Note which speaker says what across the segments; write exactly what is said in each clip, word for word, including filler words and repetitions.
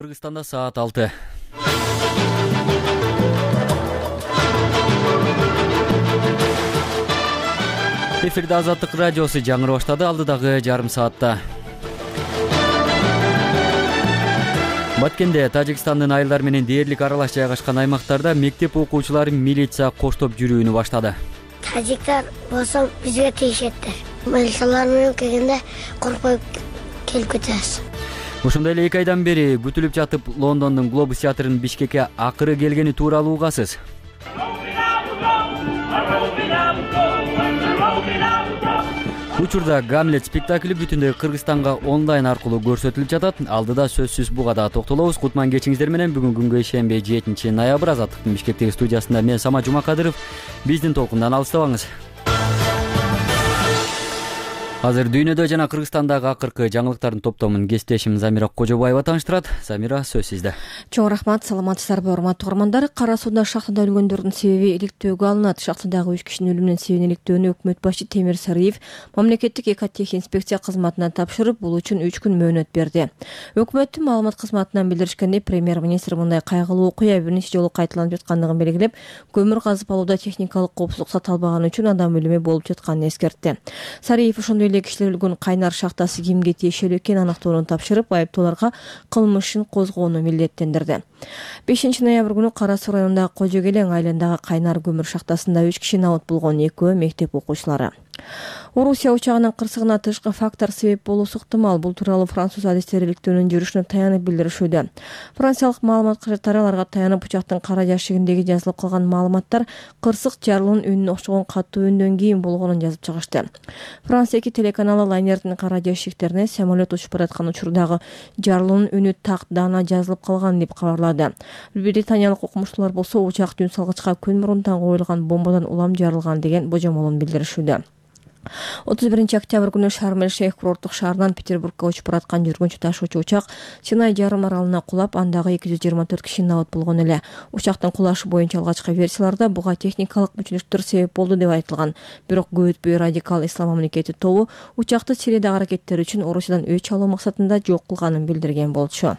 Speaker 1: Кыргызстанда саат алты. Эфирде Азаттык радиосу жаңыры баштады. Алдыдагы жарым саатта. Баткенде Тажикстандын айылдар менен дээрлик аралаш жайгашкан аймактарда мектеп окуучулары милиция коштоп жүрүүнү баштады.
Speaker 2: Тажиктар болсо бизге тийишеттир. Милициялар менен келгенде коркпой келип кетебиз.
Speaker 1: Ошондой эле эки айдан бери күтүлүп жатып Лондондун Глобус театрынын Бишкекке акыры келгени тууралуу угасыз. Учурда Гамлет спектакли бүтүндөй Кыргызстанга онлайн аркылуу көрсөтүлүп жатат. Алдыда сөзсүз буга да токтолобуз. Кутман кечиңиздер менен бүгүн күнгө ишенбей жетинчи ноябрь Азаттыктын Бишкектеги студиясында мен Сама Жумакадыров. Биздин толкундан алыстабаңыз. Азыр дүйнөдө жана Кыргызстандагы акыркы жаңылыктардын топтомун кесиптешим Замира Кожобаева тааныштырат. Замира, сөз сизде.
Speaker 3: Чоң рахмат, саламатсыздарбы, урматтуу угармандар. Кара сууда шахтада өлгөндөрдүн себеби иликтөөгө алынат. Шахтадагы үч кишинин өлүмүнүн себебин иликтөөнү өкмөт башы Темир Сарыев мамлекеттик экотехинспекция кызматына тапшырып, бул үчүн үч күн мөөнөт берди. Өкмөттүн маалымат кызматынан билдиришкендей, премьер-министр мындай кайгылуу окуя бир нече жолу кайталанып жаткандыгын белгилеп, көмүр казып алууда техникалык коопсуздук сакталбаганы үчүн адам өлүмү болуп жатканын эскертти. Сарыев ошондой эле кишилер өлгөн кайнар шахтасы кимге тиешелүү экенин аныктоону тапшырып, айыптууларга кылмыш ишин козгоону милдеттендирди. бешинчи ноябрь күнү Кара суу районундагы Кожо Келең айылындагы кайнар көмүр шахтасында үч киши набыт болгон, экөө мектеп окуучулары. Орусия учагынын кырсыгына тышкы фактор себеп болуусу ыктымал. Бул тууралуу француз адистери иликтөөнүн жүрүшүнө таянып билдиришүүдө. Франциялык маалымат кажеттери аларга таянып учактын кара жашыгиндеги жазылып калган маалыматтар кырсык жарылуунун үнүнө окшогон катуу үндөн кийин болгонун жазып чыгышты. Франция эки телеканалы лайнердин кара жашыгтерине самолет учуп бараткан учурдагы жарылуунун үнү так даана жазылып калган деп кабарлады. Британиялык окумуштуулар болсо учак жүн салгычка күн мурунтан коюлган бомбадан улам жарылган деген божомолун билдиришүүдө. отуз биринчи октябрь күнү Шарм-эль-Шейх курорттук шаарынан Петербургга учуп бараткан жүргүнчү ташуучу учак Синай жарым аралына кулап, андагы эки жүз жыйырма төрт киши набыт болгон эле. Учактын кулашы боюнча алгачкы версияларда буга техникалык мүчүлүктөр себеп болду деп айтылган. Бирок көп өтпөй радикал ислам мамлекети тобу учакты Сириядагы аракеттери үчүн Орусиядан өч алуу максатында жок кылганын билдирген болчу.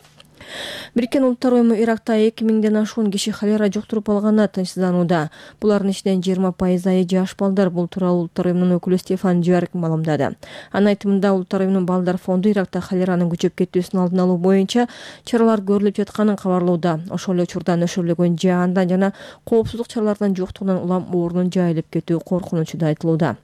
Speaker 3: Бириккен Улуттар уюму Иракта эки миңден ашуун киши холера жуктуруп алганына тынчсызданууда. Булардын ичинен жыйырма пайызы жаш балдар. Бул тууралуу Улуттар уюмунун өкүлү Стефан Джуарик маалымдады. Анын айтымында, Улуттар уюмунун балдар фонду Иракта холеранын күчөп кетүүсүнүн алдын алуу боюнча чаралар көрүлүп жатканын кабарлоодо. Ошол эле учурда нөшөрлөгөн жаандан жана коопсуздук чараларынын жоктугунан улам оорунун жайылып кетүү коркунучу да айтылууда.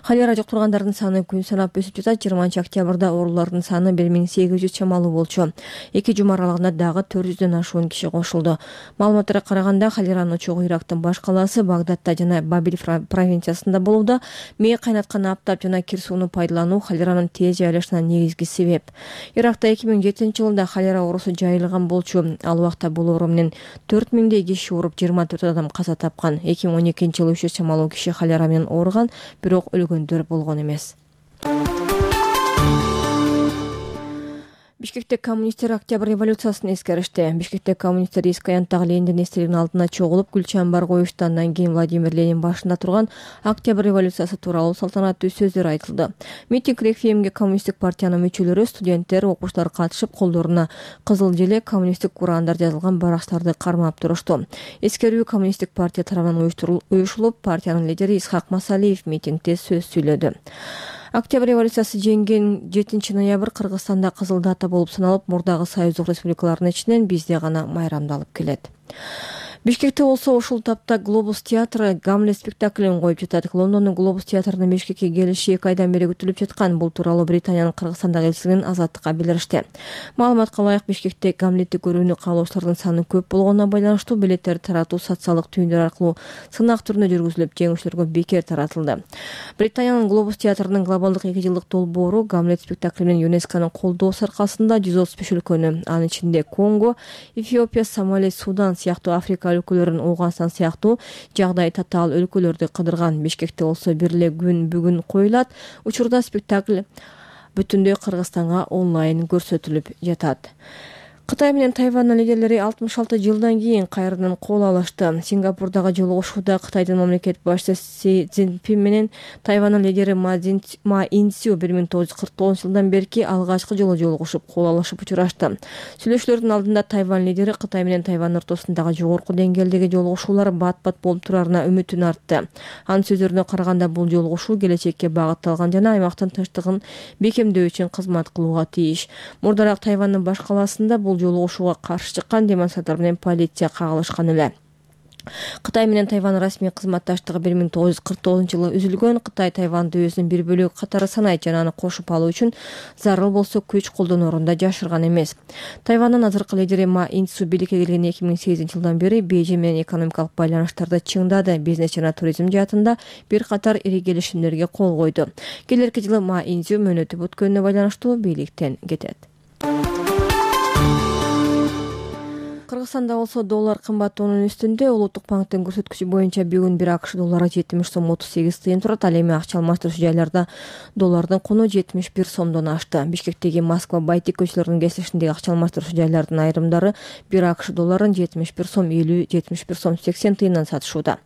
Speaker 3: Холера жуктургандардын саны күн санап өсүп жатат. жыйырманчы октябрда оорулардын саны бир миң сегиз жүз чамалуу болчу. Эки жума аралыгында дагы төрт жүздөн ашуун киши кошулду. Маалыматтарга караганда, холеранын очогу Ирактын баш калаасы Багдадта жана Бабил провинциясында болууда. Мээ кайнаткан аптап жана кир сууну пайдалануу холеранын тез жайылышына негизги себеп. Иракта эки миң жетинчи жылда холера оорусу жайылган болчу. Ал убакта бул оору менен төрт миңдей киши ооруп, жыйырма төрт адам каза тапкан. эки миң он экинчи жылы үч жүз чамалуу киши холера менен ооруган, бирок өлгөндөр болгон эмес. Бишкекте коммунисттер Октябрь революциясын эскеришти. Бишкекте коммунисттер эски аянттагы Лениндин эстелигинин алдына чогулуп, гүл чамбар коюшту. Андан кийин Владимир Ленин башында турган Октябрь революциясы тууралуу салтанаттуу сөздөр айтылды. Митинг реквиемге коммунисттик партиянын мүчөлөрү, студенттер, окуучулар катышып, колдоруна кызыл желек, коммунисттик ураандар жазылган барактарды кармап турушту. Эскерүү коммунисттик партия тарабынан уюшулуп, партиянын лидери Исхак Масалиев митингде сөз сүйлөдү. Октябрь революциясы жеңген жетинчи ноябрь Кыргызстанда кызыл дата болуп саналып, мурдагы союздук республикалардын ичинен бизде гана майрамдалып келет. Бишкекте болсо ушул тапта Глобус театры Гамлет спектаклин коюп жатат. Лондондун Глобус театрынын Бишкекке келиши эки айдан бери күтүлүп жаткан. Бул тууралуу Британиянын Кыргызстандагы элчилигинин Азаттыкка билдиришти. Маалыматка ылайык, Бишкекте Гамлетти көрүүнү каалоочулардын саны көп болгонуна байланыштуу билеттерди таратуу социалдык түйүндөр аркылуу сынак түрүндө жүргүзүлүп, жеңүүчүлөргө бекер таратылды. Британиянын Глобус театрынын глобалдык эки жылдык долбоору Гамлет спектаклинин ЮНЕСКОнун колдоосу аркасында жүз отуз беш өлкөнү, анын ичинде Конго, Эфиопия, Сомали, Судан сыяктуу Африка өлкөлөрүн, Ооганстан сыяктуу жагдай татаал өлкөлөрдү кыдырган. Бишкекте болсо бир эле күн бүгүн коюлат. Учурда спектакль бүтүндөй Кыргызстанга онлайн көрсөтүлүп жатат. Кытай менен Тайвандын лидерлери алтымыш алты жылдан кийин кайрадан кол алышты. Сингапурдагы жолугушууда Кытайдын мамлекет башчысы Си Цзиньпин менен Тайвандын лидери Ма Ин-сю бир миң тогуз жүз кырк тогузунчу жылдан берки алгачкы жолу жолугушуп, кол алышып учурашты. Сүйлөшүүлөрдүн алдында Тайвань лидери Кытай менен Тайвань ортосундагы жогорку деңгээлдеги жолугушуулар бат-бат болуп турарына үмүтүн артты. Анын сөздөрүнө караганда бул жолугушуу келечекке багытталган жана аймактын тынчтыгын бекемдөө үчүн кызмат кылууга тийиш. Мурдараак Тайвандын баш калаасында бул жолугушууга каршы чыккан демонстранттар менен полиция кагылышкан эле. Кытай менен Тайвань расмий кызматташтыгы бир миң тогуз жүз кырк тогузунчу жылы үзүлгөн. Кытай Тайваньды өзүнүн бир бөлүгү катары санайт жана аны кошуп алуу үчүн зарыл болсо күч колдоноорун да жашырган эмес. Тайвандын азыркы лидери Ма Ин-сю бийликке келген эки миң сегизинчи жылдан бери Бейжиң менен экономикалык байланыштарды чыңдады. Бизнес жана туризм жаатында бир катар ири келишимдерге кол койду. Келерки жылы Ма Ин-сю мөөнөтү бүткөнүнө байланыштуу бийликтен кетет. Кыргызстанда болсо доллар кымбаттоонун үстүндө. Улуттук банктын көрсөткүчү боюнча бүгүн бир АКШ доллары жетимиш сом отуз сегиз тыйын турат. Ал эми акча алмаштыруу жайларда доллардын куну жетимиш бир сомдон ашты. Бишкектеги Москва Байтик көчөлөрүнүн кесишиндеги акча алмаштыруу жайлардын айрымдары бир АКШ долларын жетимиш бир сом элүү, жетимиш бир сом сексен тыйындан сатышууда.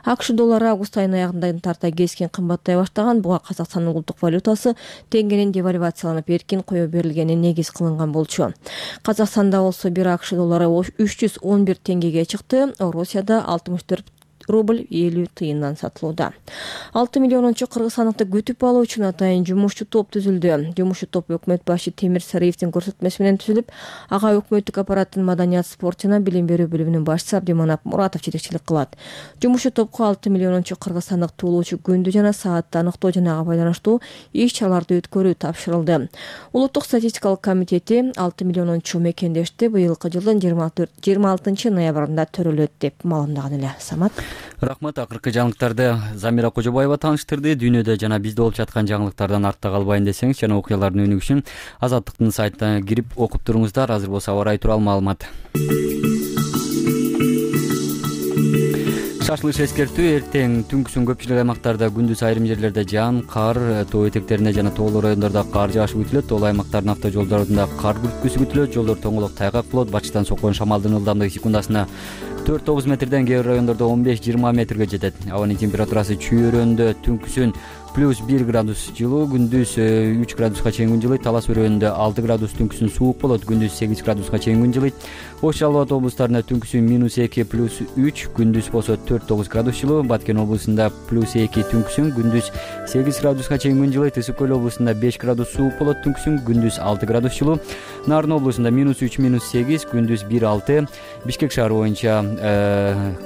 Speaker 3: АКШ доллары август айынын аягында тарта keskin кымбаттай баштаган. Буга Казакстандын улуттук валютасы теңгенин девальвацияланып эркин кое берилгени негиз кылынган болчу. Казакстанда болсо бир АКШ доллары үч жүз он бир теңгеге чыкты. Орусияда алтымыш төрт рубль элүү тыйындан сатылууда. алты миллионунчу кыргызстандыкты күтүп алуу үчүн атайын жумушчу топ түзүлдү. Жумушчу топ өкмөт башы Темир Сариевдин көрсөтмөсү менен түзүлүп, ага өкмөттүк аппараттын маданият, спорт жана билим берүү бөлүмүнүн башчысы Абдиманап Муратов жетекчилик кылат. Жумушчу топко алты миллионунчу кыргызстандык туулуучу күндү жана саатты аныктоо жана ага байланыштуу иш-чараларды өткөрүү тапшырылды. Улуттук статистикалык комитети алты миллионунчу мекендешти быйылкы жылдын жыйырма алтынчы ноябрында төрөлөт деп маалымдаган эле. Самат.
Speaker 1: Рахмат. Акыркы жаңылыктарды Замира Кожобаева тааныштырды. Дүйнөдө жана бизде болуп жаткан жаңылыктардан артта калбайын десеңиз жана окуялардын өнүгүшү үчүн Азаттыктын сайтына кирип окуп туруңуздар. Азыр болсо аба ырайы тууралуу маалымат. Шашылыш эскертүү: эртең түнкүсүн көпчүлүк аймактарда, күндүз айрым жерлерде жаан, кар, тоо этектеринде жана тоолуу райондордо кар жаашы күтүлөт. Ол аймактардын автожолдорунда кар күрткүсү күтүлөт. Жолдор тоңолок тайгак болот. Башчыдан соккон шамалдын ылдамдыгы секундасына төрт тогуз метрден, кээ бир райондордо он беш жыйырма метрге жетет. Абанын температурасы чүйөрөндө түнкүсүн плюс бир градус жылуу, күндүз үч градуска чейин күн жылыйт. Талас өрөөнүндө алты градус түнкүсүн суук болот, күндүз сегиз градуска чейин күн жылыйт. Ош Жалал Абад облустарында түнкүсүн минус эки плюс үч, күндүз болсо төрт тогуз градус жылуу. Баткен облусунда плюс эки түнкүсүн, күндүз сегиз градуска чейин күн жылыйт. Ысык көл облусунда беш градус суук болот, түнкүсүн, күндүз алты градус жылуу. Нарын облусунда минус үч минус сегиз, күндүз бир алты. Бишкек шаары боюнча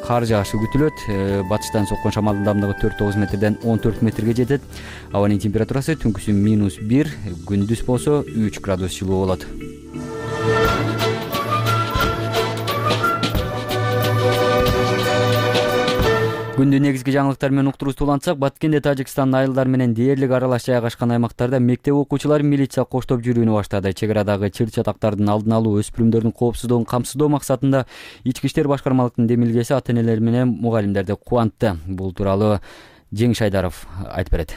Speaker 1: кар жаашы күтүлөт. Батыштан соккон шамалдын ылдамдыгы төрт тогуз метрден он төрт метрге жетет. Абанын температурасы түнкүсүн минус бир, күндүз болсо үч градус жылуу болот. Күндүн негизги жаңылыктары менен уктуруубузду улантсак, Баткенде Тажикстандын айылдар менен дээрлик аралаш жайгашкан аймактарда мектеп окуучулары милиция коштоп жүрүүнү баштады. Чек арадагы чыр-чатактардын алдын алуу, өспүрүмдөрдүн коопсуздугун камсыздоо максатында Ички иштер башкармалыктын демилгеси ата-энелер менен мугалимдерди кубантты. Бул тууралуу Жеңиш Айдаров айтып берет.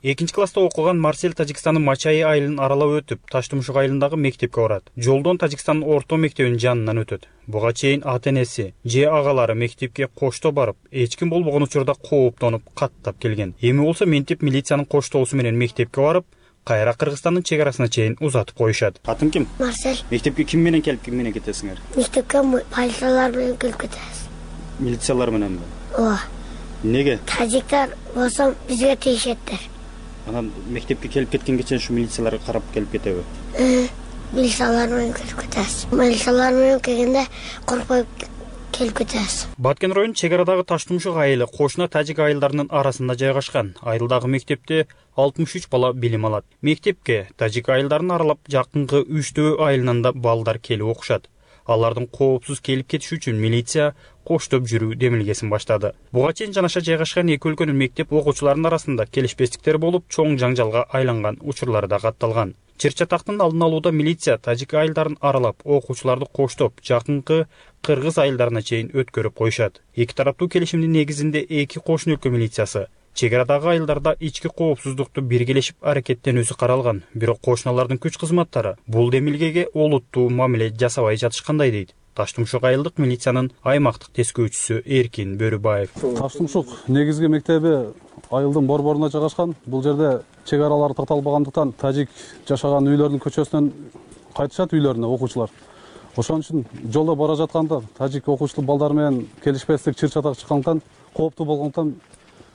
Speaker 4: экинчи класста окуган Марсель Тажикстандын Мачай айылын аралап өтүп, Таштымшык айылындагы мектепке барат. Жолдон Тажикстандын орто мектебинин жанынан өтөт. Буга чейин ата-энеси же агалары мектепке кошто барып, эч ким болбогон учурда кооптонуп, каттап келген. Эми болсо ментип милициянын коштоосу менен мектепке барып, кайра Кыргызстандын чек арасына чейин узатып коюшат. Атың ким?
Speaker 2: Марсель.
Speaker 4: Мектепке ким менен келип, ким менен кетесиңер?
Speaker 2: Мектепке полициялар менен келип кетебиз.
Speaker 4: Милициялар мененби?
Speaker 2: Ооба.
Speaker 4: Неге?
Speaker 2: Тажиктар болсо бизге тийишеттер.
Speaker 4: Анан мектепке келип кеткенге чейин ушу милициялар карап келип кетеби?
Speaker 2: Милициялар менен келип кетебиз. Милициялар менен келгенде коркпой келип кетебиз.
Speaker 4: Баткен районунун чек арадагы Таштымшык айылы кошуна тажик айылдарынын арасында жайгашкан. Айылдагы мектепте алтымыш үч бала билим алат. Мектепке тажик айылдарын аралап жакынкы үчтөө айылынан да балдар келип окушат. Алардын коопсуз келип кетиши үчүн милиция коштоп жүрүү демилгесин баштады. Буга чейин жанаша жайгашкан эки өлкөнүн мектеп окуучуларынын арасында келишпестиктер болуп, чоң жаңжалга айланган учурлар да катталган. Чыр-чатактын алдын алууда милиция тажик айылдарын аралап, окуучуларды коштоп, жакынкы кыргыз айылдарына чейин өткөрүп коюшат. Эки тараптуу келишимдин негизинде эки кошуна өлкө милициясы Чек арадагы айылдарда ички коопсуздукту биргелешип аракеттенүүсү каралган, бирок кошуналардын күч кызматтары бул демилгеге олуттуу мамиле жасабай жатышкандай дейт Таштумшук айылдык милициянын аймактык тескөөчүсү Эркин Бөрүбаев.
Speaker 5: Таштумшук негизги мектеби айылдын борборуна жайгашкан. Бул жерде чек аралары такталбагандыктан тажик жашаган үйлөрдүн көчөсүнөн кайтышат үйлөрүнө окуучулар. Ошон үчүн жолдо бара жатканда тажик окуучу балдар менен келишпестик чыр чатак чыккандыктан, кооптуу болгондуктан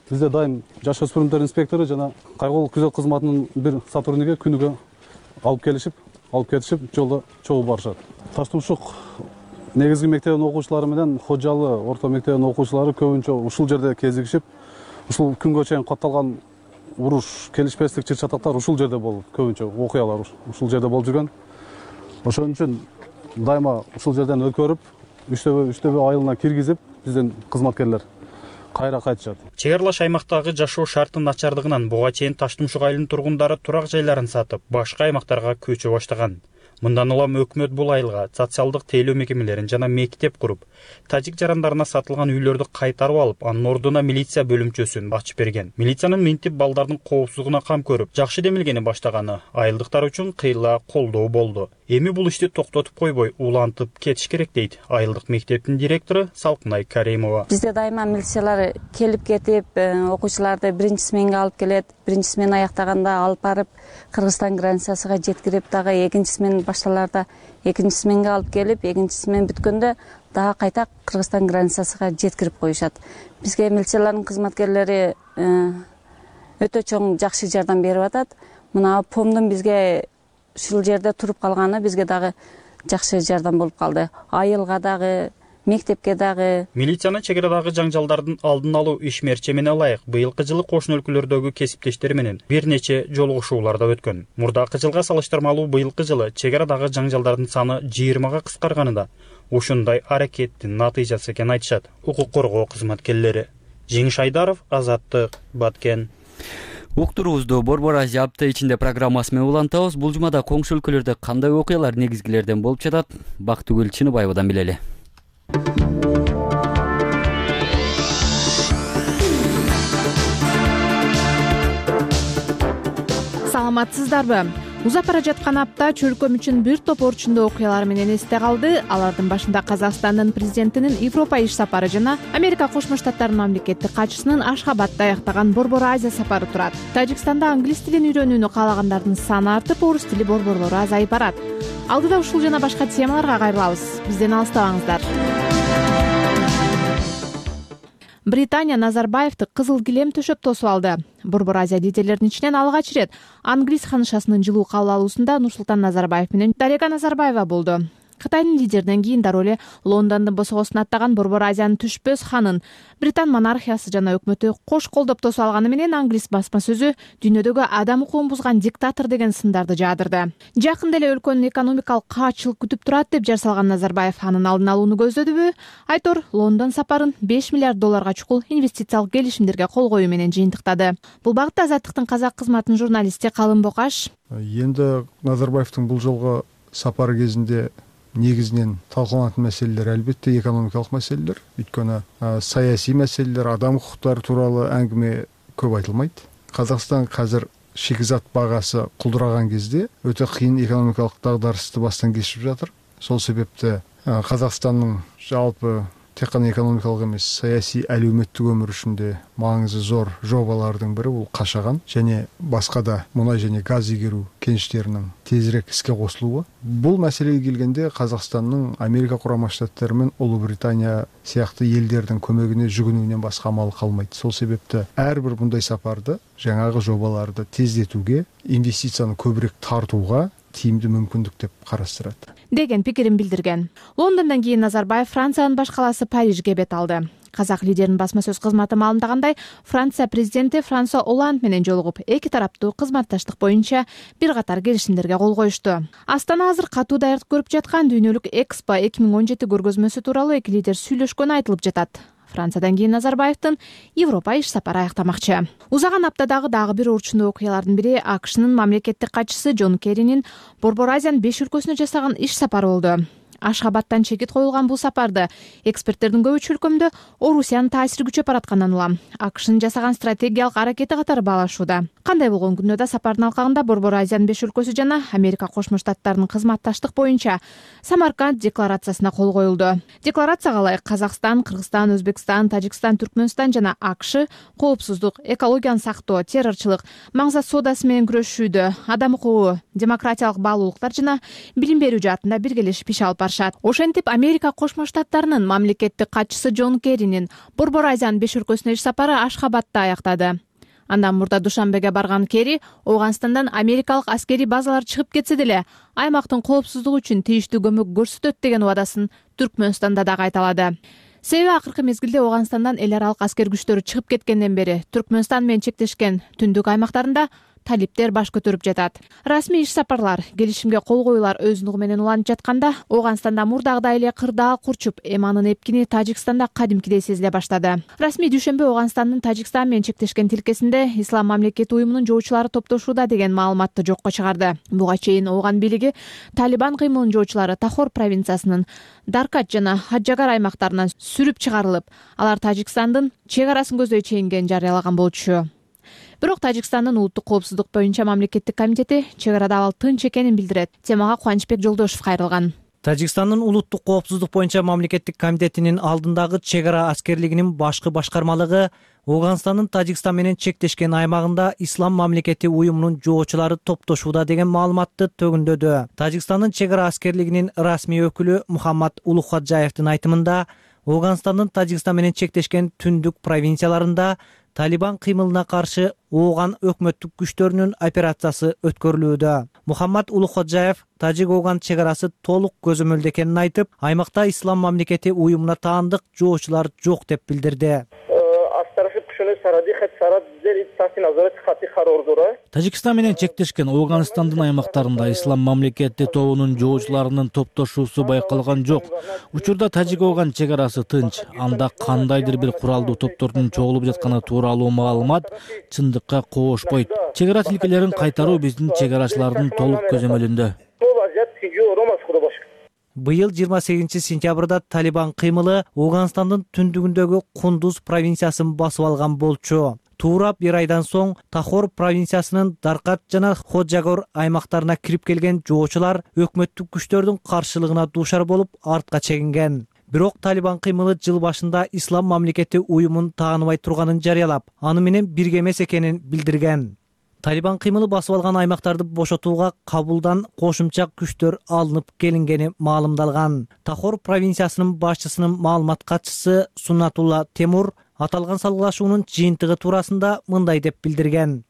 Speaker 5: бизде дайым жаш өспүрүмдөр инспектору жана кайгылуу күзөт кызматынын бир сотрудниги күнүгө алып келишип, алып кетишип, жолдо чогуу барышат. Таштумшук негизги мектебинин окуучулары менен Хожалы орто мектебинин окуучулары көбүнчө ушул жерде кезигишип, ушул күнгө чейин катталган уруш, келишпестик чыр чатактар ушул жерде болуп, көбүнчө окуялар ушул жерде болуп жүргөн. Ошон үчүн дайыма ушул жерден өткөрүп, үчтөбө үчтөбө айылына киргизип, биздин кызматкерлер кайра кайтышат.
Speaker 4: Чек аралаш аймактагы жашоо шарты начардыгынан буга чейин Таштумшук айылынын тургундары турак жайларын сатып, башка аймактарга көчө баштаган. Мындан улам өкмөт бул айылга социалдык тейлөө мекемелерин жана мектеп куруп, тажик жарандарына сатылган үйлөрдү кайтарып алып, анын ордуна милиция бөлүмчөсүн ачып берген. Милициянын минтип балдардын коопсуздугуна кам көрүп, жакшы демилгени баштаганы айылдыктар үчүн кыйла колдоо болду. Эми бул ишти токтотуп койбой, улантып кетиш керек дейт айылдык мектептин директору Салкынай Каримова.
Speaker 6: Бизде дайыма милициялар келип кетип, окуучуларды биринчи сменге алып келет, биринчи смен аяктаганда алып барып, Кыргызстан границасына жеткирип, дагы экинчи смен башталарда экинчи сменге алып келип, экинчи смен бүткөндө дагы кайта Кыргызстан границасына жеткирип коюшат. Бизге милициялардын кызматкерлери өтө чоң жакшы жардам берип атат. Мына помдун бизге ушул жерде туруп калганы бизге дагы жакшы жардам болуп калды. Айылга дагы, мектепке дагы.
Speaker 4: Милициянын чек арадагы жаңжалдардын алдын алуу ишмерчемине ылайык быйылкы жылы кошуна өлкөлөрдөгү кесиптештери менен бир нече жолугушууларда өткөн. Мурдакы жылга салыштырмалуу быйылкы жылы чек арадагы жаңжалдардын саны жыйырмага кыскарганы да ушундай аракеттин натыйжасы экенин айтышат укук коргоо кызматкерлери. Жеңиш Айдаров, Азаттык, Баткен.
Speaker 1: Уктуруубузду Борбор Азия апта ичинде программасы менен улантабыз. Бул жумада коңшу өлкөлөрдө кандай окуялар негизгилерден болуп жатат? Бактыгүл Чыныбаевадан билели.
Speaker 7: Саламатсыздарбы? Узап бара жаткан апта чөлкөм үчүн бир топ орчундуу окуялар менен эсте калды. Алардын башында Казакстандын президентинин Европа иш сапары жана Америка Кошмо Штаттарынын мамлекеттик катчысынын Ашхабадда аяктаган Борбор Азия сапары турат. Тажикстанда англис тилин үйрөнүүнү каалагандардын саны артып, орус тили борборлору азайып барат. Алдыда ушул жана башка темаларга кайрылабыз. Бизден алыстабаңыздар. Британия Назарбаевди кызыл килем төшөп тосуп алды. Борбор Азия лидерлеринин ичинен алгач ирет англис ханышасынын жылуу кабыл алуусунда Нурсултан Назарбаев менен Дарига Назарбаева болду. Кытайдын лидеринен кийин дароо эле Лондондун босогосун аттаган Борбор Азиянын түшпөс ханын Британ монархиясы жана өкмөтү кош колдоп тосуп алганы менен англис басма сөзү дүйнөдөгү адам укугун бузган диктатор деген сындарды жаадырды. Жакында эле өлкөнүн экономикалык каатчылык күтүп турат деп жар салган Назарбаев анын алдын алууну көздөдүбү? Айтор Лондон сапарын беш миллиард долларга чукул инвестициялык келишимдерге кол коюу менен жыйынтыктады. Бул багытта Азаттыктын казак кызматынын журналисти Калым Бокаш.
Speaker 8: Эми Назарбаевдин бул жолго сапары кезинде негизинен талкууланатын маселелер албетте экономикалык маселелер. Өйткөнү саясий маселелер, адам укуктары тууралуу әңгіме көп айтылмайт. Казакстан азыр шикизат багасы кулдураган кезде өтө кыйын экономикалык дагдарысты бастан кечирип жатыр. Сол себепте Казакстандын жалпы тек гана экономикалык эмес, саясий әлеуметтик өмүр үчүндө маңызы зор жобалардын бири бул Кашаган және башка да мунай және газ игерүү кеништеринин тезирээк иске косулуусу. Бул маселеге келгенде Казакстандын Америка Курама Штаттары менен Улуу Британия сыяктуу элдердин көмөгүнө жүгүнүүнөн башка амал калмайт. Сол себепте ар бир мындай сапарды жаңагы жобаларды тездетүүгө, инвестицияны көбүрөөк тартууга тийимдүү мүмкүндүк деп карастырат
Speaker 7: деген пикирин билдирген. Лондондон кийин Назарбаев Франциянын баш калаасы Парижге бет алды. Казак лидеринин басма сөз кызматы маалымдагандай, Франция президенти Франсуа Олланд менен жолугуп, эки тараптуу кызматташтык боюнча бир катар келишимдерге кол коюшту. Астана азыр катуу даярдык көрүп жаткан дүйнөлүк Экспо эки миң он жети көргөзмөсү тууралуу эки лидер сүйлөшкөнү айтылып жатат. Франциядан кийин Назарбаевдин Европа иш сапары аяктамакчы. Узаган аптадагы дагы бир орчундуу окуялардын бири АКШнын мамлекеттик катчысы Джон Керринин Борбор Азиянын беш өлкөсүнө жасаган иш сапары болду. Ашхабадтан чекит коюлган бул сапарды эксперттердин көбү чөлкөмдө Орусиянын таасири күчөп баратканын улам АКШнын жасаган стратегиялык аракети катары баалашууда. Кандай болгон күндө да сапардын алкагында Борбор Азиянын беш өлкөсү жана Америка Кошмо Штаттарынын кызматташтык боюнча Самарканд декларациясына кол коюлду. Декларацияга ылайык Казакстан, Кыргызстан, Өзбекстан, Тажикстан, Түркмөнстан жана АКШ коопсуздук, экологияны сактоо, террорчулук, маңзат соодасы менен күрөшүүдө, адам укугу, демократиялык баалуулуктар жана билим берүү жаатында биргелешип иш алып барышат. Ошентип Америка Кошмо Штаттарынын мамлекеттик катчысы Джон Керринин Борбор Азиянын беш өлкөсүнө иш сапары Ашхабадда аяктады. Андан мурда Душанбеге барган Керри Ооганстандан америкалык аскерий базалар чыгып кетсе деле аймактын коопсуздугу үчүн тийиштүү көмөк көрсөтөт деген убадасын Түркмөнстанда да кайталады. Себеби акыркы мезгилде Ооганстандан эл аралык аскер күчтөрү чыгып кеткенден бери Түркмөнстан менен чектешкен түндүк аймактарында талиптер баш көтөрүп жатат. Расмий иш сапарлар, келишимге кол коюулар өзүнүгү менен уланып жатканда Ооганстанда мурдагыдай эле кырдаал курчуп, эми анын эпкини Тажикстанда кадимкидей сезиле баштады. Расмий дүйшөмбү Ооганстандын Тажикстан менен чектешкен тилкесинде Ислам мамлекети уюмунун жоочулары топтошууда деген маалыматты жокко чыгарды. Буга чейин Ооган бийлиги Талибан кыймылынын жоочулары Тахор провинциясынын Даркат жана Хаджагар аймактарынан сүрүп чыгарылып, алар Тажикстандын чек арасын көздөй чейинген жарыялаган болчу. Бирок Тажикстандын улуттук коопсуздук боюнча мамлекеттик комитети чек арада абал тынч экенин билдирет. Темага Кубанычбек Жолдошев кайрылган.
Speaker 9: Тажикстандын улуттук коопсуздук боюнча мамлекеттик комитетинин алдындагы чек ара аскерлигинин башкы башкармалыгы Ооганстандын Тажикстан менен чектешкен аймагында Ислам мамлекети уюмунун жоочулары топтошууда деген маалыматты төгүндөдү. Тажикстандын чек ара аскерлигинин расмий өкүлү Мухаммад Улухаджаевдин айтымында Ооганстандын Тажикстан менен чектешкен түндүк провинцияларында Талибан кыймылына каршы Ооган өкмөттүк күчтөрүнүн операциясы өткөрүлүүдө. Мухаммад Улуходжаев Тажик-Ооган чек арасы толук көзөмөлдө экенин айтып, аймакта Ислам мамлекети уюмуна таандык жоочулар жок деп билдирди.
Speaker 10: Тажикстан менен чектешкен Ооганстандын аймактарында Ислам мамлекети тобунун жоочуларынын топтошуусу байкалган жок. Учурда Тажик-Ооган чек арасы тынч. Анда кандайдыр бир куралдуу топтордун чогулуп жатканы тууралуу маалымат чындыкка коошпойт. Чек ара тилкелерин кайтаруу биздин чек арачылардын толук көзөмөлүндө.
Speaker 9: Быйыл жыйырма сегизинчи сентябрда Талибан кыймылы Ооганстандын түндүгүндөгү Кундуз провинциясын басып алган болчу. Туура бир айдан соң Тахор провинциясынын Даркат жана Ходжагор аймактарына кирип келген жоочулар өкмөттүк күчтөрдүн каршылыгына дуушар болуп артка чегинген. Бирок Талибан кыймылы жыл башында Ислам мамлекети уюмун тааныбай турганын жарыялап, аны менен бирге эмес экенин билдирген. Талибан кыймылы басып алган аймактарды бошотууга Кабулдан кошумча күчтөр алынып келингени маалымдалган. Тахор провинциясынын башчысынын маалымат катчысы Суннатулла Темур аталган салгылашуунун жыйынтыгы туурасында мындай деп билдирген.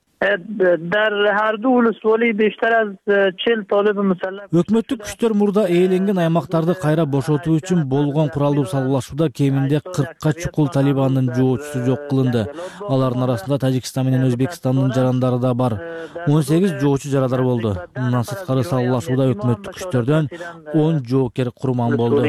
Speaker 10: Өкмөттүк күчтөр мурда ээленген аймактарды кайра бошотуу үчүн болгон куралдуу салгылашууда кеминде кыркка чукул Талибандын жоочусу жок кылынды. Алардын арасында Тажикстан менен Өзбекстандын жарандары да бар. он сегиз жоочу жарадар болду. Мындан сырткары салгылашууда өкмөттүк күчтөрдөн он жоокер курман болду.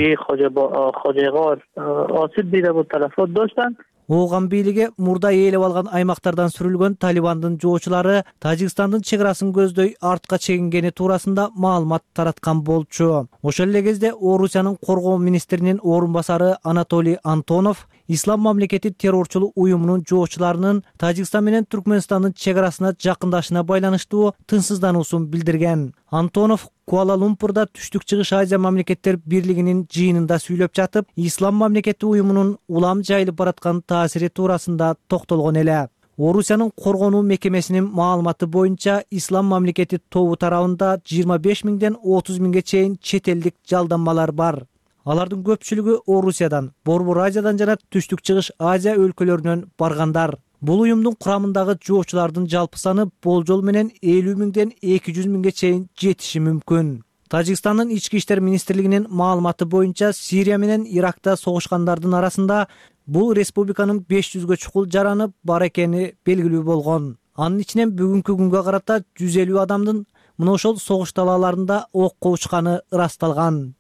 Speaker 9: Ооган бийлиги мурда ээлеп алган аймактардан сүрүлгөн Талибандын жоочулары Тажикстандын чек арасын көздөй артка чегингени туурасында маалымат тараткан болчу. Ошол эле кезде Орусиянын коргоо министринин орун басары Анатолий Антонов Ислам мамлекети террорчулук уюмунун жоочуларынын Тажикстан менен Түркмөнстандын чек арасына жакындашына байланыштуу тынчсыздануусун билдирген. Антонов Куала-Лумпурда Түштүк Чыгыш Азия мамлекеттер бирлигинин жыйынында сүйлөп жатып, Ислам мамлекети уюмунун улам жайылып бараткан таасири туурасында токтолгон эле. Орусиянын коргонуу мекемесинин маалыматы боюнча Ислам мамлекети тобу тарабында жыйырма беш миңден отуз миңге чейин чет элдик жалданмалар бар. Алардын көпчүлүгү Орусиядан, Борбор Азиядан жана Түштүк Чыгыш Азия өлкөлөрүнөн баргандар. Бул уюмдун курамындагы жоочулардын жалпы саны болжол менен элүү миңден эки жүз миңге чейин жетиши мүмкүн. Тажикстандын ички иштер министрлигинин маалыматы боюнча Сирия менен Иракта согушкандардын арасында бул республиканын беш жүзгө чукул жараны бар экени белгилүү болгон. Анын ичинен бүгүнкү күнгө карата жүз элүү адамдын мына ошол согуш талааларында окко учканы ырасталган.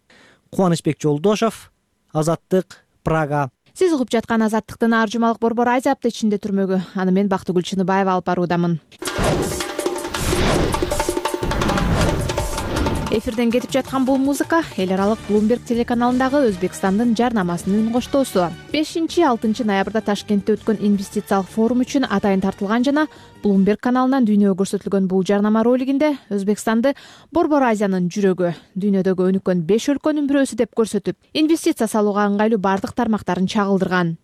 Speaker 9: Кубанычбек Жолдошев, Азаттык, Прага.
Speaker 7: Сиз угуп жаткан Азаттыктын ар жумалык Борбор Азия апта ичинде түрмөгү. Аны мен Бактыгүл Чыныбаева алып баруудамын. Эфирден кетип жаткан бул музыка эл аралык Bloomberg телеканалындагы Өзбекстандын жарнамасынын үн коштоосу. бешинчи алтынчы ноябрда Ташкентте өткөн инвестициялык форум үчүн атайын тартылган жана Bloomberg каналынан дүйнөгө көрсөтүлгөн бул жарнама ролигинде Өзбекстанды Борбор Азиянын жүрөгү, дүйнөдөгү өнүккөн беш өлкөнүн бирөөсү деп көрсөтүп, инвестиция салууга ыңгайлуу бардык тармактарын чагылдырган.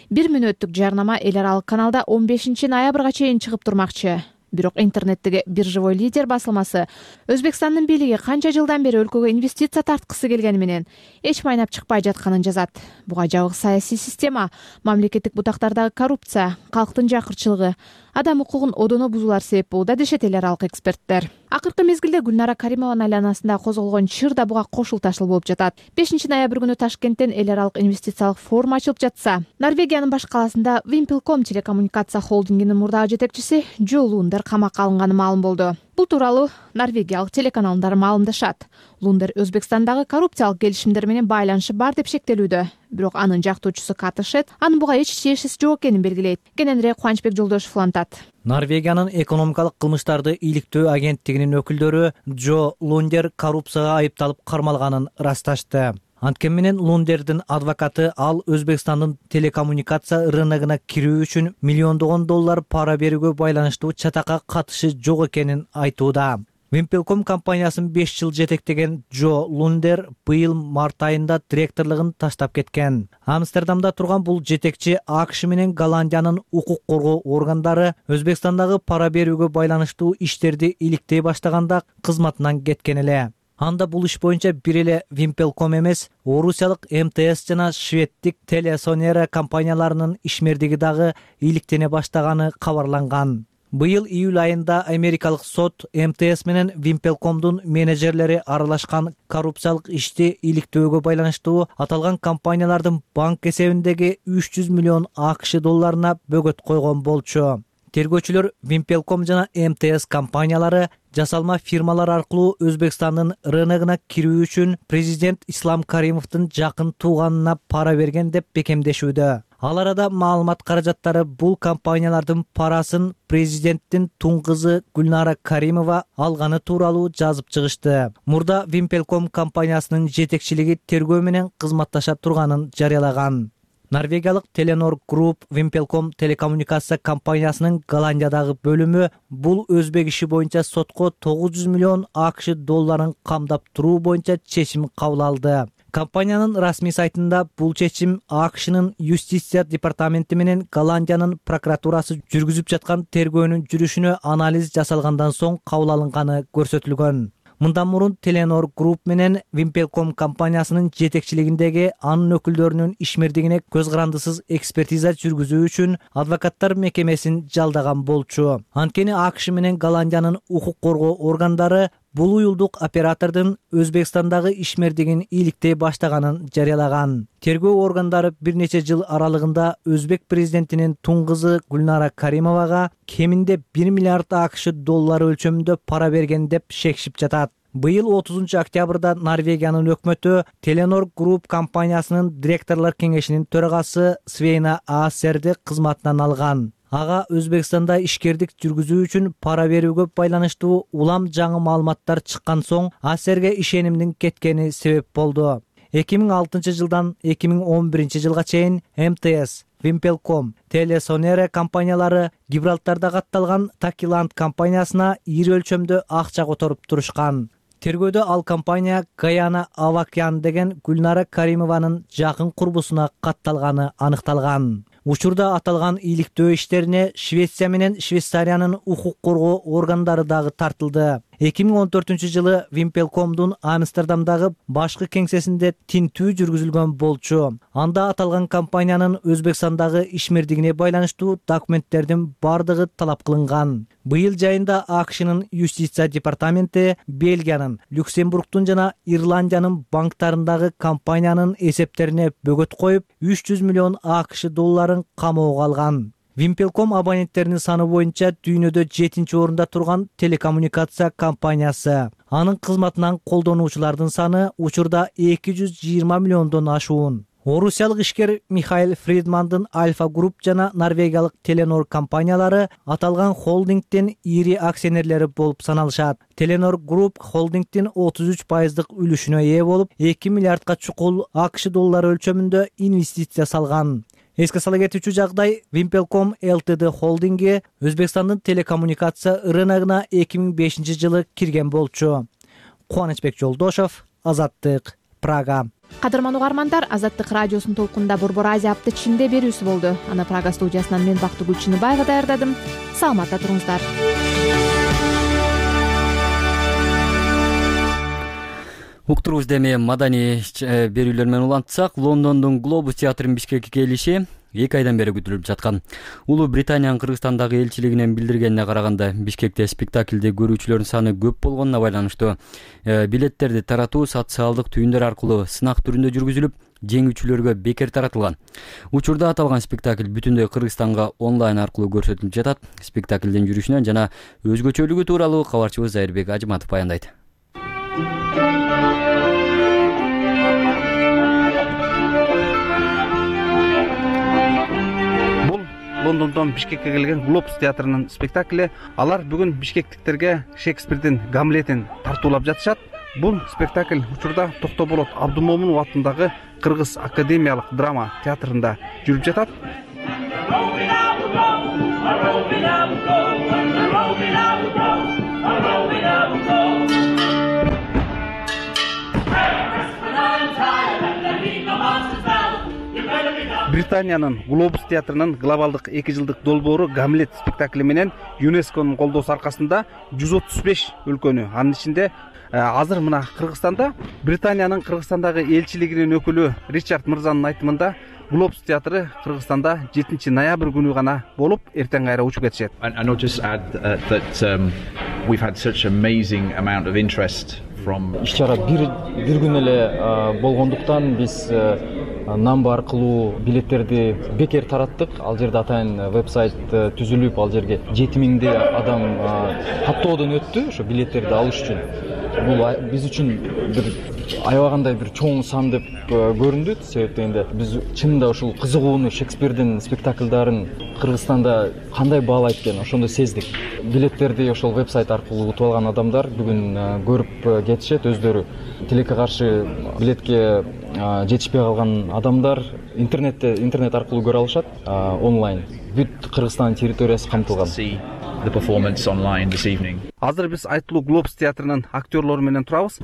Speaker 7: Бир мүнөттүк жарнама эл аралык каналда он бешинчи ноябрга чейин чыгып турмакчы. Бирок интернеттеги биржевой лидер басылмасы Өзбекстандын бийлиги канча жылдан бери өлкөгө инвестиция тарткысы келгени менен эч майнап чыкпай жатканын жазат. Буга жабык саясий система, мамлекеттик бутактардагы коррупция, калктын жакырчылыгы, адам укугун одоно бузуулар себеп болууда дешет эл аралык эксперттер. Акыркы мезгилде Гүлнара Каримованын айланасында козголгон чыр да буга кошулташыл болуп жатат. бешинчи ноябрь күнү Ташкенттен эл аралык инвестициялык форум ачылып жатса, Норвегиянын баш калаасында Вимпелком телекоммуникация холдингинин мурдагы жетекчиси Джо Лундер камакка алынганы маалым болду. Бул тууралуу норвегиялык телеканалдар маалымдашат. Лундер Өзбекстандагы коррупциялык келишимдер менен байланышы бар деп шектелүүдө. Бирок анын жактоочусу Катышет анын буга эч тиешеси жок экенин белгилейт. Кененирээк Кубанычбек Жолдошев улантат.
Speaker 9: Норвегиянын экономикалык кылмыштарды иликтөө агенттигинин өкүлдөрү Джо Лундер коррупцияга айыпталып кармалганын ырасташты. Анткени менен Лундердин адвокаты ал Өзбекстандын телекоммуникация рыногуна кирүү үчүн миллиондогон доллар пара берүүгө байланыштуу чатакка катышы жок экенин айтууда. Вимпелком компаниясын беш жыл жетектеген Джо Лундер быйыл март айында директорлугун таштап кеткен. Амстердамда турган бул жетекчи АКШ менен Голландиянын укук коргоо органдары Өзбекстандагы пара берүүгө байланыштуу иштерди иликтей баштаганда кызматынан кеткен эле. Анда бул иш боюнча бир эле Вимпелком эмес, орусиялык эм тэ эс жана шведтик Телесонера компанияларынын ишмердиги дагы иликтене баштаганы кабарланган. Быйыл июль айында америкалык сот эм тэ эс менен Вимпелкомдун менеджерлери аралашкан коррупциялык ишти иликтөөгө байланыштуу аталган компаниялардын банк эсебиндеги үч жүз миллион АКШ долларына бөгөт койгон болчу. Тергөөчүлөр Вимпелком жана эм тэ эс компаниялары жасалма фирмалар аркылуу Өзбекстандын рыногуна кирүү үчүн президент Ислам Каримовдун жакын тууганына пара берген деп бекемдешүүдө. Ал арада маалымат каражаттары бул компаниялардын парасын президенттин туң кызы Гүлнара Каримова алганы тууралуу жазып чыгышты. Мурда Вимпелком компаниясынын жетекчилиги тергөө менен кызматташа турганын жарыялаган. Норвегиялык Теленор Group Вимпелком телекоммуникация компаниясынын Голландиядагы бөлүмү бул өзбек иши боюнча сотко тогуз жүз миллион АКШ долларын камдап туруу боюнча чечим кабыл алды. Компаниянын расмий сайтында бул чечим АКШнын юстиция департаменти менен Голландиянын прокуратурасы жүргүзүп жаткан тергөөнүн жүрүшүнө анализ жасалгандан соң кабыл алынганы көрсөтүлгөн. Мындан мурун Теленор Group менен Вимпелком компаниясынын жетекчилигиндеги анын өкүлдөрүнүн ишмердигине көз карандысыз экспертиза жүргүзүү үчүн адвокаттар мекемесин жалдаган болчу. Анткени АКШ менен Голландиянын укук коргоо органдары бул уюлдук оператордун Өзбекстандагы ишмердигин иликтей баштаганын жарыялаган. Тергөө органдары бир нече жыл аралыгында өзбек президентинин туң кызы Гүлнара Каримовага кеминде бир миллиард АКШ доллары өлчөмүндө пара берген деп шекшип жатат. Быйыл отузунчу октябрда Норвегиянын өкмөтү Теленор Group компаниясынын директорлор кеңешинин төрагасы Свейна Аасерди кызматынан алган. Ага Өзбекстанда ишкердик жүргүзүү үчүн пара берүүгө байланыштуу улам жаңы маалыматтар чыккан соң Аасерге ишенимдин кеткени себеп болду. эки миң алтынчы жылдан эки миң он биринчи жылга чейин эм тэ эс, Вимпелком, Телесонера компаниялары Гибралтарда катталган Такиланд компаниясына ири өлчөмдө акча которуп турушкан. Тергөөдө ал компания Гаяна Авакян деген Гүлнара Каримованын жакын курбусуна катталганы аныкталган. Учурда аталган иликтөө иштерине Швеция менен Швейцариянын укук коргоо органдары дагы тартылды. эки миң он төртүнчү жылы Вимпелкомдун Амстердамдагы башкы кеңсесинде тинтүү жүргүзүлгөн болчу. Анда аталган компаниянын Өзбекстандагы ишмердигине байланыштуу документтердин бардыгы талап кылынган. Быйыл жайында АКШнын юстиция департаменти Бельгиянын, Люксембургдун жана Ирландиянын банктарындагы компаниянын эсептерине бөгөт коюп, үч жүз миллион АКШ долларын камоого алган. Вимпелком абоненттеринин саны боюнча дүйнөдө жетинчи орунда турган телекоммуникация компаниясы. Анын кызматынан колдонуучулардын саны учурда эки жүз жыйырма миллиондон ашуун. Орусиялык ишкер Михаил Фридмандын Альфа Групп жана норвегиялык Теленор компаниялары аталган холдингдин ири акционерлери болуп саналышат. Теленор Групп холдингдин отуз үч пайыздык үлүшүнө ээ болуп, эки миллиардка чукул АКШ доллары өлчөмүндө инвестиция салган. Эске сала кетүүчү жагдай, Wimpelcom Ltd холдинги Өзбекстандын телекоммуникация рыногуна эки миң бешинчи жылы кирген болчу. Кубанычбек Жолдошов, Азаттык, Прага.
Speaker 7: Кадырман угармандар, Азаттык радиосунун толкунда Борбор Азия апта ичинде берүүсү болду. Аны Прага студиясынан мен Бактыгүл Чыныбаева даярдадым. Саламатта туруңуздар.
Speaker 1: Уктурубузда эми маданий берүүлөр менен улантсак, Лондондун Глобус театрынын Бишкекке келиши эки айдан бери күтүлүп жаткан. Улуу Британиянын Кыргызстандагы элчилигинин билдиргенине караганда, Бишкекте спектакльди көрүүчүлөрдүн саны көп болгонуна байланыштуу билеттерди таратуу социалдык түйүндөр аркылуу сынак түрүндө жүргүзүлүп, жеңүүчүлөргө бекер таратылган. Учурда аталган спектакль бүтүндөй Кыргызстанга онлайн аркылуу көрсөтүлүп жатат. Спектаклдин жүрүшүнөн жана өзгөчөлүгү тууралуу кабарчыбыз Зайырбек Ажыматов баяндайт.
Speaker 11: Лондондон Бишкекке келген Глобус театрынын спектакли. Алар бүгүн бишкектиктерге Шекспирдин Гамлетин тартуулап жатышат. Бул спектакль учурда Токтоболот Абдумомунов атындагы Кыргыз академиялык драма театрында жүрүп жатат. Британиянын Глобус театрынын глобалдык эки жылдык долбоору Гамлет спектакли менен ЮНЕСКОнун колдоосу аркасында жүз отуз беш өлкөнү, анын ичинде азыр мына Кыргызстанда Британиянын Кыргызстандагы элчилигинин өкүлү Ричард мырзанын айтымында Глобус театры Кыргызстанда жетинчи ноябрь күнү гана болуп, эртең кайра учуп кетишет.
Speaker 12: Иш-чара бир бир күн эле болгондуктан биз намба аркылуу билеттерди бекер тараттык. Ал жерде атайын вебсайт түзүлүп, ал жерге жети миңдей адам каттоодон өттү ошо билеттерди алыш үчүн. Бул биз үчүн бир аябагандай бир чоң сан деп көрүндү. Себеп дегенде биз чынында ушул кызыгууну Шекспирдин спектакльдарын Кыргызстанда кандай баалайт экен, ошондо сездик. Билеттерди ошол вебсайт аркылуу утуп алган адамдар бүгүн көрүп кетишет. Өздөрү тилекке каршы билетке жетишпей калган адамдар интернетте интернет аркылуу көрө алышат онлайн. Бүт Кыргызстан территориясы камтылган.
Speaker 11: Азыр биз айтылуу Глобус театрынын актерлору менен турабыз.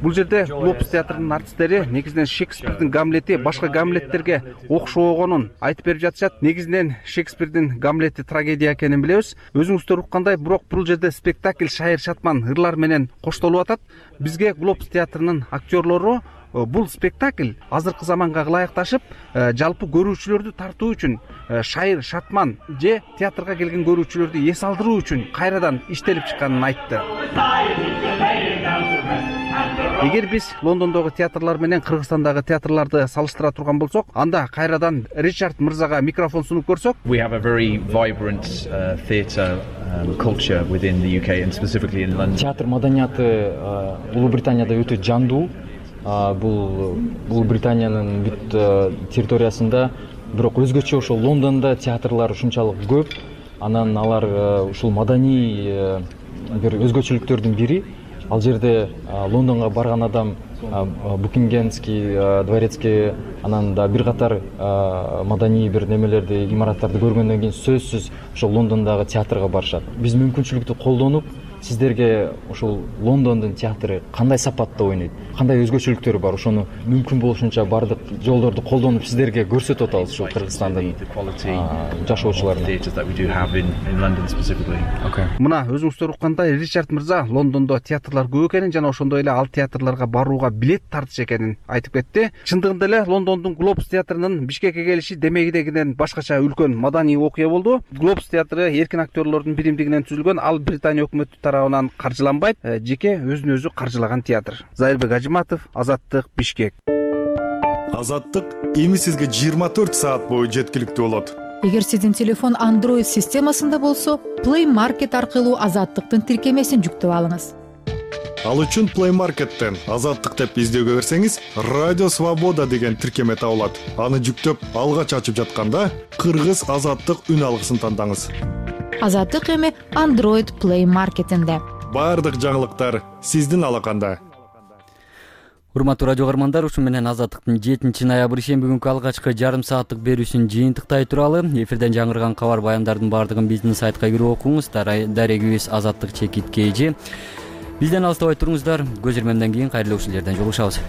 Speaker 11: Бул жерде Глобус театрынын артисттери негизинен Шекспирдин Гамлети башка Гамлеттерге окшогонун айтып берип жатышат. Негизинен Шекспирдин Гамлети трагедия экенин билебиз. Өзүңүздөр уккандай, бирок бул жерде спектакль шайыр шатман ырлар менен коштолуп атат. Бизге Глобус театрынын актерлору бул спектакль азыркы заманга ылайыкташып, жалпы көрүүчүлөрдү тартуу үчүн, шайыр шатман же театрга келген көрүүчүлөрдү эс алдыруу үчүн кайрадан иштелип чыкканын айтты. Эгер биз Лондондогу театрлар менен Кыргызстандагы театрларды салыштыра турган болсок, анда кайрадан Ричард мырзага микрофон сунуп көрсөк.
Speaker 13: We have a very vibrant uh, theatre um, culture within the U K and specifically in London.
Speaker 12: Театр маданияты Улуу Британияда өтө жандуу. Бул бул Британиянын бүт территориясында, бирок өзгөчө ошол Лондондо театрлар ушунчалык көп. Анан алар ушул маданий бир өзгөчөлүктөрдүн бири. Ал жерде Лондонго барган адам Букингемский дворецке, анан да бир катар маданий бир немелерди, имараттарды көргөндөн кийин сөзсүз ошол Лондондогу театрга барышат. Биз мүмкүнчүлүктү колдонуп, сиздерге ошол Лондондун театры кандай сапатта ойнойт, кандай өзгөчөлүктөрү бар, ошону мүмкүн болушунча бардык жолдорду колдонуп сиздерге көрсөтүп атабыз ушул Кыргызстандын жашоочуларына.
Speaker 11: Мына өзүңүздөр уккандай, Ричард мырза Лондондо театрлар көп экенин жана ошондой эле ал театрларга барууга билет тартыш экенин айтып кетти. Чындыгында эле Лондондун Глобус театрынын Бишкекке келиши демегидегиден башкача үлкөн маданий окуя болду. Глобус театры эркин актерлордун биримдигинен түзүлгөн, ал Британия өкмөтү тарабынан каржыланбайт, жеке өзүн өзү каржылаган театр. Зайырбек Ажыматов, Азаттык, Бишкек.
Speaker 14: Азаттык эми сизге жыйырма төрт саат бою жеткиликтүү болот.
Speaker 15: Эгер сиздин телефон Android системасында болсо, Play Market аркылуу Азаттыктын тиркемесин жүктөп алыңыз.
Speaker 14: Ал үчүн Play Market'тен Азаттык деп издөөгө берсеңиз, Радио Свобода деген тиркеме табылат. Аны жүктөп, алгач ачып жатканда Кыргыз Азаттык үн алгысын тандаңыз.
Speaker 15: Азаттык эми Android Play Market'инде.
Speaker 14: Бардык жаңылыктар сиздин алаканда.
Speaker 1: Урматтуу радио каармандар, ушу менен Азаттыктын жетинчи ноябрь ишемби күнкү алгачкы жарым сааттык берүүсүн жыйынтыктай туралы. Эфирден жаңырган кабар баяндардын баардыгын биздин сайтка кирип окуңуз. Дарегибиз Азаттык чекит кей жи. Бизден алыстабай туруңуздар. Көз ирмемден кийин кайрылуу ушул жерден жолугушабыз.